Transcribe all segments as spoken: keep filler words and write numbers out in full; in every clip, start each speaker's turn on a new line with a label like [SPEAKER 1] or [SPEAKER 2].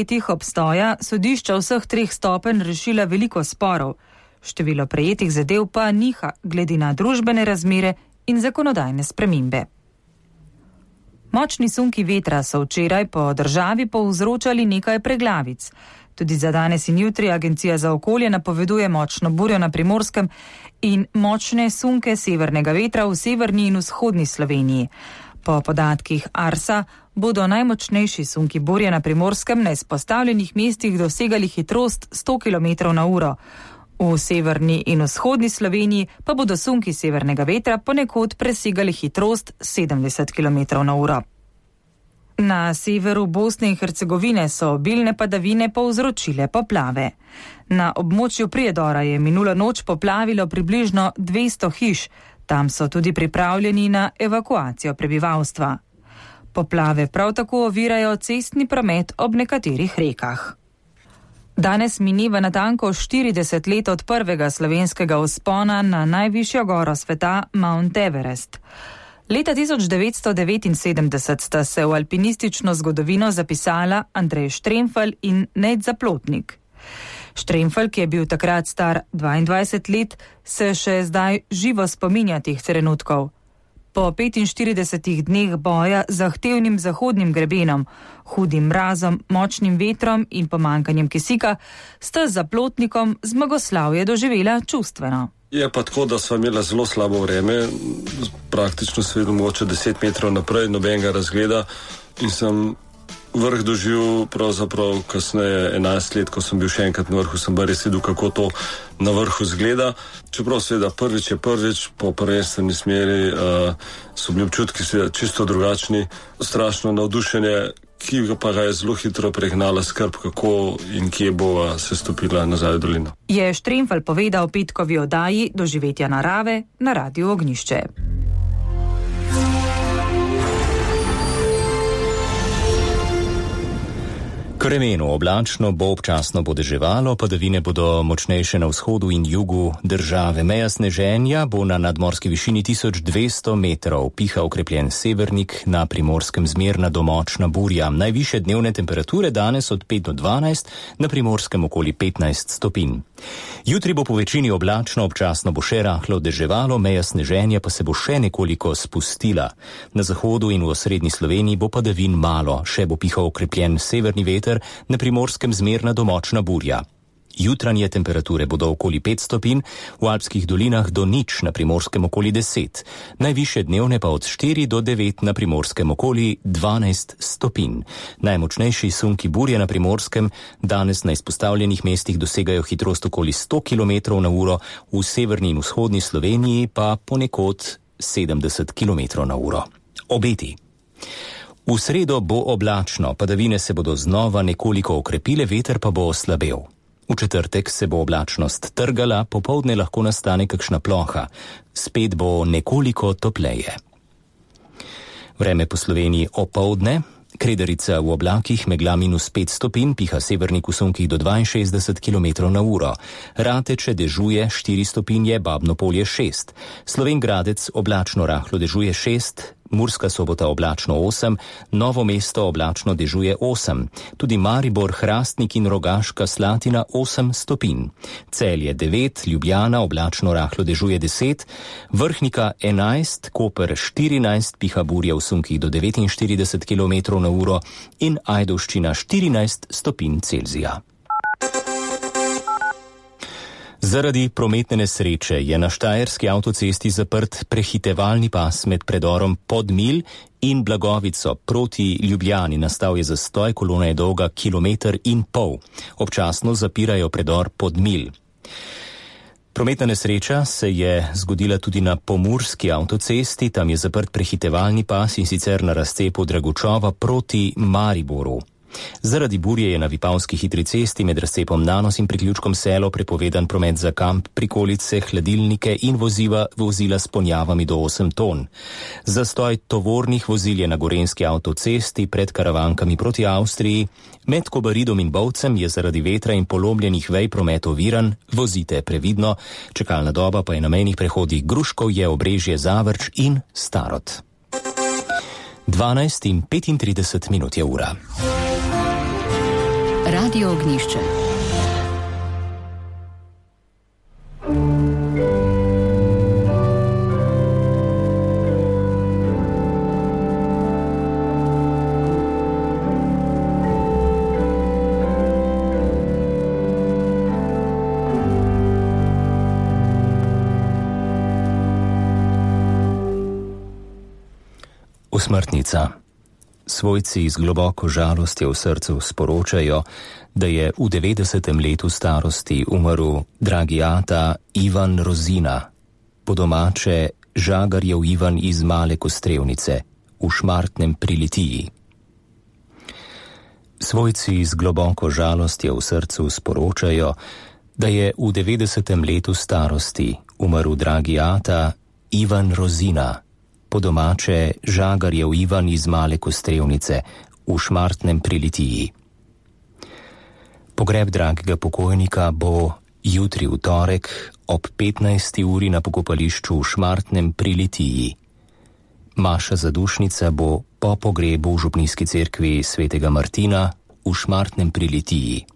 [SPEAKER 1] letih obstoja sodišča vseh treh stopenj rešila veliko sporov. Število prejetih zadev pa niha glede na družbene razmere in zakonodajne spremembe. Močni sunki vetra so včeraj po državi povzročali nekaj preglavic. Tudi za danes in jutri Agencija za okolje napoveduje močno burjo na Primorskem in močne sunke severnega vetra v severni in vzhodni Sloveniji. Po podatkih Arsa bodo najmočnejši sunki burje na Primorskem na izpostavljenih mestih dosegali hitrost sto kilometrov na uro. V severni in vzhodni Sloveniji pa bodo sunki severnega vetra ponekod presegali hitrost sedemdeset kilometrov na uro. Na severu Bosne in Hercegovine so obilne padavine povzročile poplave. Na območju Prijedora je minulo noč poplavilo približno dvesto hiš, tam so tudi pripravljeni na evakuacijo prebivalstva. Poplave prav tako ovirajo cestni promet ob nekaterih rekah. Danes mineva natanko štirideset let od prvega slovenskega vzpona na najvišjo goro sveta Mount Everest. Leta tisoč devetsto devetinsedemdeset sta se v alpinistično zgodovino zapisala Andrej Štremfelj in Nejc Zaplotnik. Štremfelj, ki je bil takrat star dvaindvajset let, se še zdaj živo spominja teh trenutkov. Po petinštiridesetih dneh boja z zahtevnim zahodnim grebenom, hudim mrazom, močnim vetrom in pomanjkanjem kisika, sta z Zaplotnikom zmagoslavje doživela čustveno.
[SPEAKER 2] Je pa tako, da sva imela zelo slabo vreme, praktično se videl mogoče deset metrov naprej, nobenega razgleda in sem vrh doživel pravzaprav kasneje enajst let, ko sem bil še enkrat na vrhu, sem pa res videl, kako to na vrhu zgleda. Čeprav seveda prvič je prvič, po prvenstveni smeri uh, so bili občutki seveda čisto drugačni, strašno navdušenje, ki pa ga je zelo hitro pregnala skrb, kako in kje bova se stopila nazaj v dolino.
[SPEAKER 1] Je Štremfelj povedal petkovi oddaji Doživetja narave na Radiu Ognjišče.
[SPEAKER 3] K vremenu oblačno bo občasno bo deževalo, padavine bodo močnejše na vzhodu in jugu države. Meja sneženja bo na nadmorski višini tisoč dvesto metrov, piha okrepljen severnik, na Primorskem zmerna do močna burja. Najvišje dnevne temperature danes od pet do dvanajst, na Primorskem okoli petnajst stopinj. Jutri bo po večini oblačno, občasno bo še rahlo deževalo, meja sneženja pa se bo še nekoliko spustila. Na zahodu in v osrednji Sloveniji bo padavin malo, še bo pihal okrepljen severni veter, na Primorskem zmerna do močna burja. Jutranje temperature bodo okoli pet stopinj, v alpskih dolinah do nič, na Primorskem okoli deset. Najvišje dnevne pa od štiri do devet, na Primorskem okoli dvanajst stopinj. Najmočnejši sunki burje na Primorskem danes na izpostavljenih mestih dosegajo hitrost okoli sto kilometrov na uro, v severni in vzhodni Sloveniji pa ponekod sedemdeset kilometrov na uro. Obeti. V sredo bo oblačno, padavine se bodo znova nekoliko okrepile, veter pa bo oslabel. V četrtek se bo oblačnost trgala, popoldne lahko nastane kakšna ploha, spet bo nekoliko topleje. Vreme po Sloveniji opoldne, Kredarica v oblakih, megla minus pet stopinj, piha severnik v sunkih do dvainšestdeset kilometrov na uro. Rateče dežuje štiri stopinje, Babno Polje šest. Slovenj Gradec oblačno rahlo dežuje šest, Murska Sobota oblačno osem, Novo mesto oblačno dežuje osem, tudi Maribor, Hrastnik in Rogaška Slatina osem stopinj. Celje devet, Ljubljana oblačno rahlo dežuje deset, Vrhnika enajst, Koper štirinajst, piha burja v sunkih do devetinštirideset kilometrov na uro in Ajdovščina štirinajst stopinj Celzija. Zaradi prometne nesreče je na štajerski avtocesti zaprt prehitevalni pas med predorom Podmilj in Blagovico proti Ljubljani. Nastal je zastoj, kolona je dolga kilometer in pol. Občasno zapirajo predor Podmilj. Prometna nesreča se je zgodila tudi na pomurski avtocesti, tam je zaprt prehitevalni pas in sicer na razcepu Dragučova proti Mariboru. Zaradi burje je na Vipavski hitri cesti med razcepom Nanos in priključkom Selo prepovedan promet za kamp, prikolice, hladilnike in voziva, vozila s ponjavami do osem ton. Zastoj tovornih vozil je na gorenjski avtocesti pred Karavankami proti Avstriji. Med Kobaridom in Bovcem je zaradi vetra in polomljenih vej promet oviran, vozite previdno, čakalna doba pa je na mejnih prehodih Gruškovje, Obrežje, Zavrč in Starod. dvanajst in petintrideset minut je ura.
[SPEAKER 4] Radio Ognjišče.
[SPEAKER 3] Osmrtnica. Svojci z globoko žalostjo v srcu sporočajo, da je v devetdesetem letu starosti umrl dragi ata Ivan Rozina, po domače Žagarjev Ivan iz Male Kostrevnice v Šmartnem pri Litiji. Svojci z globoko žalostjo v srcu sporočajo, da je v devetdesetem letu starosti umrl dragi ata Ivan Rozina, po domače Žagarjev Ivan iz Male Kostrevnice v Šmartnem pri Litiji. Pogreb dragega pokojnika bo jutri v torek ob petnajsti uri na pokopališču v Šmartnem pri Litiji. Maša zadušnica bo po pogrebu v župnijski cerkvi svetega Martina v Šmartnem pri Litiji.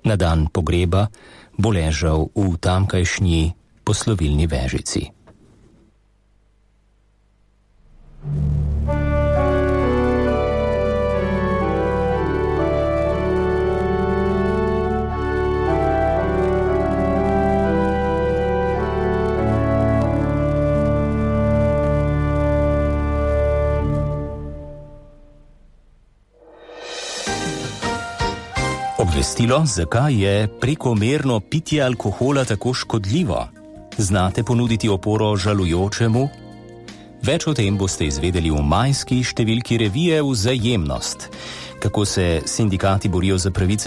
[SPEAKER 3] Na dan pogreba bo ležal v tamkajšnji poslovilni vežici. Obvestilo, zakaj je prekomerno pitje alkohola tako škodljivo? Znate ponuditi oporo žalujočemu? Več o tem boste izvedeli v majski številki revije Vzajemnost. Kako se sindikati borijo za pravice